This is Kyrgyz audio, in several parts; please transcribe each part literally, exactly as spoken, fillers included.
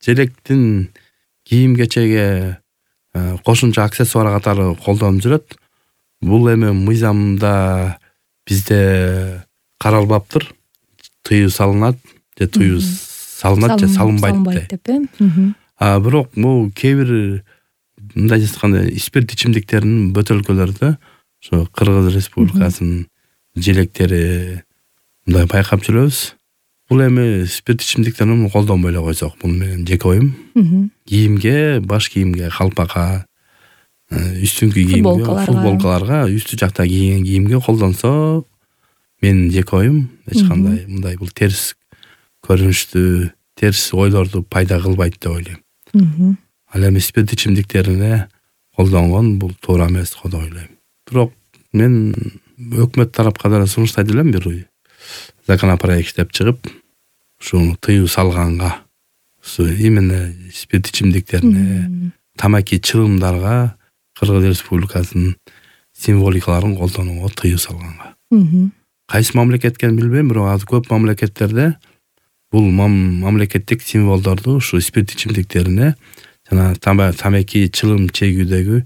желектин кийим кечеге кошумча аксессуар катары колдонуп жүрөт. Бул эми мыйзамда бизде каралбаптыр. Тыюу салынат же тыюу салынат же салынбайт деп. А бирок бул кээ бир мындай айтканда спирт ичимдиктеринин бөтөлкөлөрдө ошо Кыргыз Республикасынын желектери мындай байкап жүрөбүз. Бул эми спирт ичимдиктерин колдонбой эле койсок, бул менен жеке оюм. Кийимге, баш кийимге, калпакка, үстүңкү кийимге, футболкаларга, үстү жакта кийген кийимге колдонсо, менин жеке оюм эч кандай мындай бул терс көрүнүштү, терс ойлорду пайда кылбайт деп ойлойм. Ал эми спирт ичимдиктерине колдонгон бул туура эмес го деп ойлойм. Бирок мен өкмөт тарапка да сунуштайт элем, бир законопроект иштеп чыгып, ушуну тыюу салганга, ушу именно спирт ичимдиктерине, тамаки чылымдарга Кыргыз Республикасынын символикаларын колдонууга тыюу салганга. Кайсы мамлекетке билбейм, бирок азыр көп мамлекеттерде бул мамлекеттик символдорду ушу спирт ичимдиктерине жана тамаки чылым чегүүдөгү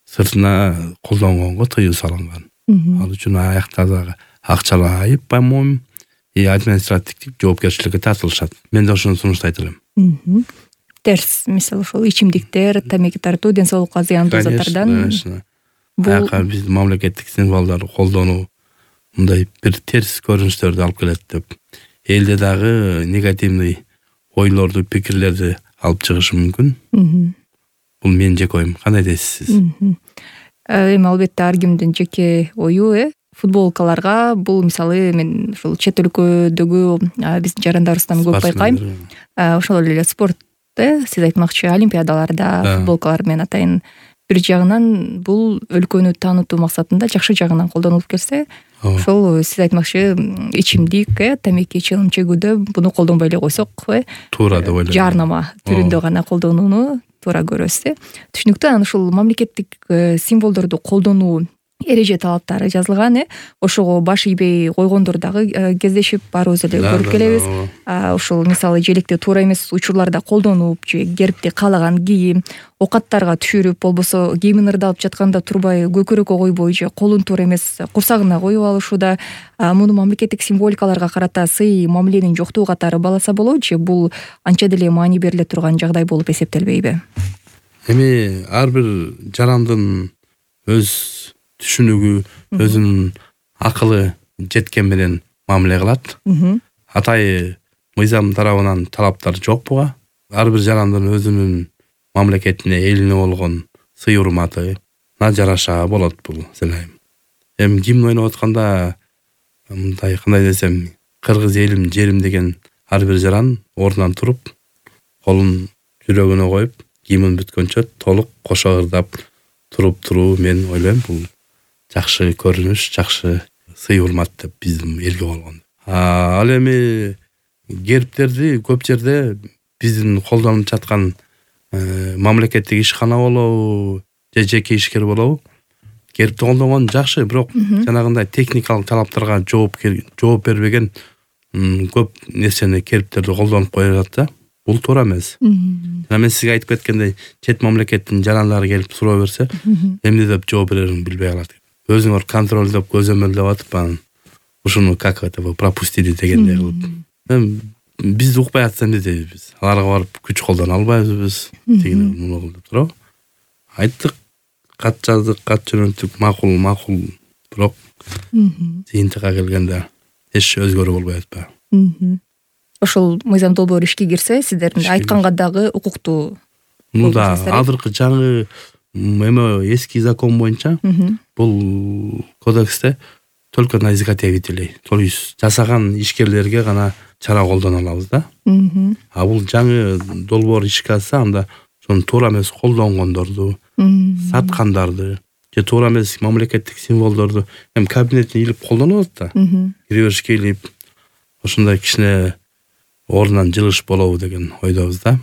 сыртына колдонгонго тыюу салынган. Ал үчүн аякта дагы акчалуу айып, по-моему, и административдик жоопкерчиликке тартылышат. Мен да ошону сунуштайт элем. Терс, мисалы ошол ичимдиктер, тамаки тартуу ден соолукка зыяндуу заттардан. Бул биздин мамлекеттик символдорду колдонуу мындай бир терс көрүнүштөрдү алып келет деп, элде дагы негативный ойлорду, пикирлерди алып чыгышы мүмкүн. Бул менин жеке оюм. Кандай дейсиз сиз? Эми албетте ар кимдин жеке ою, э футболкаларга бул мисалы мен ушул чет өлкөдөгү биздин жарандарыбыздан көп байкайм. Ошол эле спорт, э сиз айтмакчы олимпиадаларда футболкалар менен атайын бир жагынан бул өлкөнү таанытуу максатында жакшы жагынан колдонулуп келсе, ошол сиз айтмакчы ичимдик, э тамаки чылым чегүүдө буну колдонбой эле койсок, э туура деп ойлойм. Жарнама түрүндө гана колдонууну туура көрөбүз, э. Түшүнүктүү. Анан ушул мамлекеттик символдорду колдонуу эреже талаптары жазылган, э ошого баш ийбей койгондор дагы кездешип баарыбыз эле көрүп келебиз. Ушул мисалы желекти туура эмес учурларда колдонуп же гербти каалаган кийим, окаттарга түшүрүп, болбосо кийимин ырдалып жатканда турбай көкөрөккө койбой же колун туура эмес курсагына коюп алышууда, муну мамлекеттик символикаларга карата сый мамиленин жоктугу катары бааласа болобу же бул анча деле маани бериле турган жагдай болуп эсептелбейби? Эми ар бир жарандын өз түшүнүгү, өзүнүн акылы жеткен менен мамиле кылат. Атайы мыйзам тарабынан талаптар жок буга. Ар бир жарандын өзүнүн мамлекетине, элине болгон сый урматы на жараша болот бул сенайым. Эми гимн ойноп атканда мындай кандай десем, кыргыз элим, жерим деген ар бир жаран ордунан туруп, колун жүрөгүнө коюп, гимн бүткөнчө толук кошо ырдап туруп туруу, мен ойлойм бул жакшы көрүнүш, жакшы сый урмат деп биздин элге болгон. Ал эми гербтерди көп жерде биздин колдонуп жаткан мамлекеттик ишкана болобу же жеке ишкер болобу, гербти колдонгон жакшы, бирок жанагындай техникалык талаптарга жооп жооп бербеген көп нерсени, гербтерди колдонуп коюшат да. Бул туура эмес. Жана мен сизге айтып кеткендей, чет мамлекеттин жарандары келип суроо берсе, эмне деп жооп берерин билбей калат. Өзүңөр контролдоп, көзөмөлдөп атып, анан ушуну как это пропустили дегендей кылып. Эми бизди укпай атса эмне дейбиз? Аларга барып күч колдоно албайбыз, тигине муну кыл деп туруп. Айттык, кат жаздык, кат жөнөттүк, макул, макул, бирок жыйынтыкка келгенде эч өзгөрүү болбой атпайбы? Ошол мыйзам долбоор ишке кирсе, сиздердин айтканга дагы укуктуу. Ну да, азыркы жаңы эме эски закон боюнча бул кодексте только на изготовителей, то есть жасаган ишкерлерге гана чара колдоно алабыз да. А бул жаңы долбоор ишке алса, анда ошону туура эмес колдонгондорду, саткандарды же туура эмес мамлекеттик символдорду эми кабинетте илип колдонот да. Киреберишке илип, ошондой кичине ордунан жылыш болобу деген ойдобуз да.